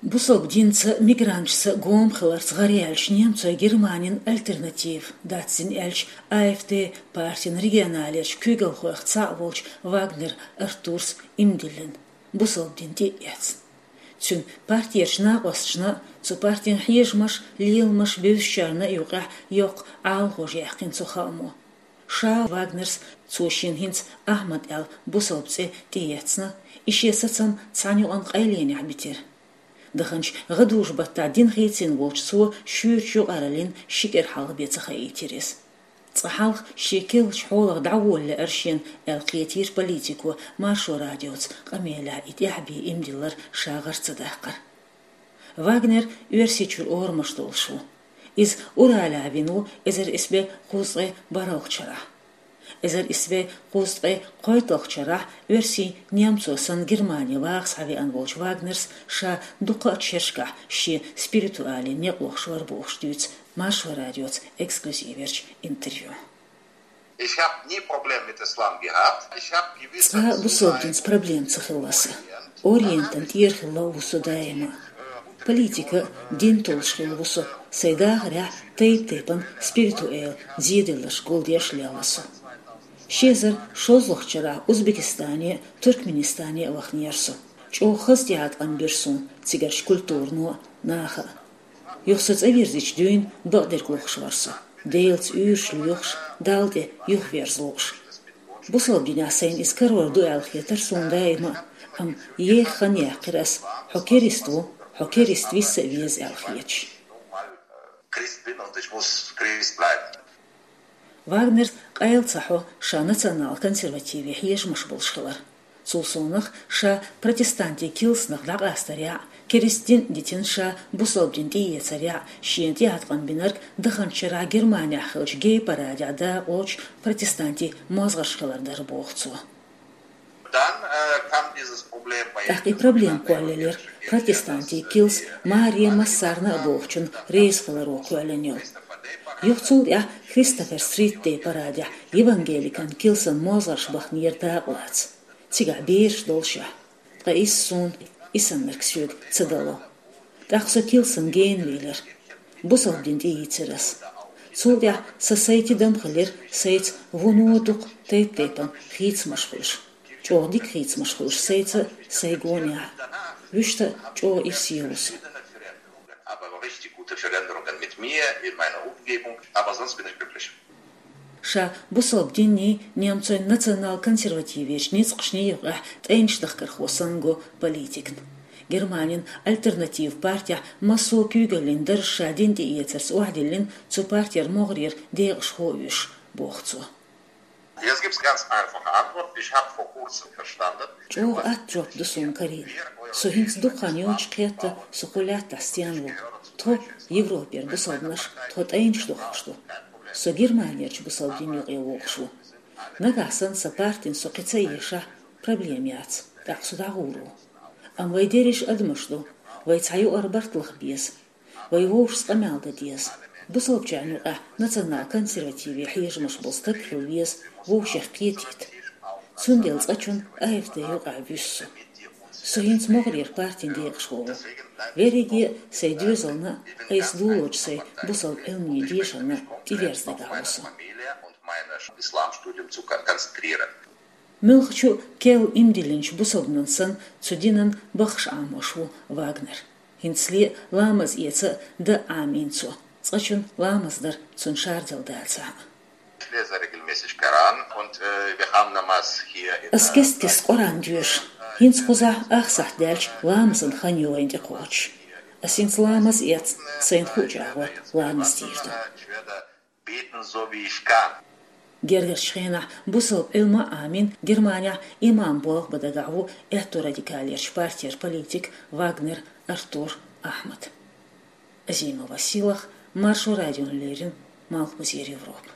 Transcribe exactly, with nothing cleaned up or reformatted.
Бусалба динца, мигранташца гома хиларца гӀараяьлча немцойн Германин «Альтернатива», дацдина аьлча, А Ф Д партин регионалерча куьйгалхойх цхьаъ волчу Вагнер Артурс иман диллина, бусалба дин тӀе а эцна. Цуьнан партерчу накъосташна а, цу партин хьежамаш, леламаш бевзачарна а юкъахь йоккха Ӏалахош яьккхина цу хаамо. Ша Вагнерс, цо шена хӀинца Ахьмад аьлла бусалба цӀе тӀеэцна, и шен сацам цхьана юкъана къайленехь битира. Даханчу гӀадужу-баттахь дин хийцина волчу цо шуьйрачу юкъараллин ши кӀира хьалха бен ца хаийтира иза. Цкъа хьалха шен керлачу хьолах дӀаволла лаьара шена аьлла кхетийра политико Маршо радиоца къамелехь и тӀаьхьа бен иман диллар ша гӀар ца даккхар. Вагнер Оьрсийчуьра орамаш долуш ву. Иза Уралехь вина ву эзар исс бӀе кхузткъе бархӀалгӀачу шарахь. Эзар исс бӀе кхузткъе кхойтталгӀачу шарахь оьрсий немцо санна Германе ваха схьавеана волчу Вагнерс ша дуккха а шерашкахь шен спиритуале некъ лохуш вара бохуш дуьйцу Маршо радиоца эксклюзиверчу интервью. Ich habe nie Probleme mit Islam gehabt. Ich habe gewisse Цкъа а бусалба динца проблема ца хилла сан. Ориентан тӀера хилла ву со даима. Политика а, дин толлуш хилла ву со, сайн дахарехь тайп-тайпана спиритуэл зеделларш гулдеш лелла со. Ши эзар шолгӀачу шарахь Узбекистане а, Туркменистане а ваханера со. ЧӀогӀа хаза тӀеӀаткъам бира суна цигарчу культурано а, наха а. Юха со цӀа вирзича дуьйна бакъдерг лохуш вара со, Делаца уьйраш лоьхуш, Далла тӀе юхаверза лууш. Бусалба динехь сайна иза карор ду аьлла хетара суна даима а, амма еха хан яьккхира ас, хьо керист ву, хьо керист виса а веза аьлла хеташ. Christ bin und ich muss Christ bleiben. Вагнерс къайла ца хьо ша национал-консервативе хьежамаш болуш хилар. Цул совнаха ша протестантийн килсанах дӀакъастарехь а, керист дин а дитина ша бусалба дин тӀеэцарехь а, шена тӀеӀаткъам бинарг даханчу шарахь Германехь хиллачу гей-парадехь дакъалоцуш протестантийн мозгӀарш хилар дара, боху цо. Dann, äh, kam dieses Problem bei ТӀаккха и проблема кхоьллинера протестантийн килс маре массарна а бохучун реза хиларо кхоьллина йолу. Юха цул тӀаьхьа Кристофер-Стрит дей парадехь евангеликан килсан мозгӀарш баханера дакъалаца. Цигахь бераш долушехь. Ткъа иза суна, и саннарг соьга ца дало. ТӀаккха со килсан гена велира. Бусалба дин тӀеийцира ас. Цул тӀаьхьа сан сай тидам хилира, сайца вуно дукха тайп-тайпана хийцамаш хуьлуш. ЧӀогӀа дика хийцамаш хуьлуш сайца а, сайн гонехь а. Вуьшта а чӀогӀа ирсе ву со. Aber richtig gute Veränderungen mit mir, in meiner Umgebung, aber sonst bin ich glücklich. Ша бусалба динний, немцойн национал-консервативерчу ницкъашний юкъахь тӀайнаш дахкархо санна го политикна. Германин «Альтернатива» партехь массо а куьйгаллин дарж ша дин тӀеэцарца охьадиллина, цу партера могӀарера декъашхо а вуьйш, боху цо. Jetzt gibt's ganz einfache Antwort. Ich habe vor kurzem verstanden. ЧӀогӀа атта жоп ду суна карийна. Со хӀинца дукха хан йоцуш кхетта, со кху лаьттахь стенна ву. Тхо, Европера бусалбанаш, тхо тӀайнаш дохуш ду. Со Германерчу бусалба дин юкъе вогӀуш ву. Нагахь санна сан партина со кхин ца эшахь, проблема яц, тӀаккха со дӀагӀур ву. Амма вай дерриш адамаш ду, вай цхьа юкъара барт лаха беза. Вай вовшашца къамел дан деза. Бусалбачарна юкъахь национал-консервативе хьежамаш болу стаг хила веза, вовшех кхетийта. Цундела цкъачунна А Ф Д юкъахь вуьсу со. Со хӀинца могӀарера партин декъашхо ву. Верриге а сайн доьзална а, айса лулочу сайн бусалба Ӏилманийн дешарна а тӀеверза дагахь ву со. Meine Islamstudium zu kon-, konzentrieren. Муьлххачу а керла иман диллинчу бусалбанан санна, цу динан баххаш Ӏамош ву Вагнер. ХӀинцале а ламаз эца а, дан а Ӏамийна цо. Цкъачунна ламаз дар цунна шардала дацахь а. Ich lese regelmäßig Koran und, äh, wir haben Namaz hier in, Ас кест-кеста Къуръан доьшу. ХӀинца кхузахь ах сахьт даьлча ламазан хан ю вайна тӀекхочуш. Ас хӀинца ламаз эцна, сайна хуу чӀагӀо ламаз дийр ду. Ich werde beten, so wie ich kann. Гергарчу хенахь бусалба Ӏилма а Ӏамийна, Германехь имам болх бан дагахь ву аьтту радикалерчу партера политик Вагнер Артур Ахьмад. Азимова Силах, Маршо радиона леррина, Малхбузера Европа.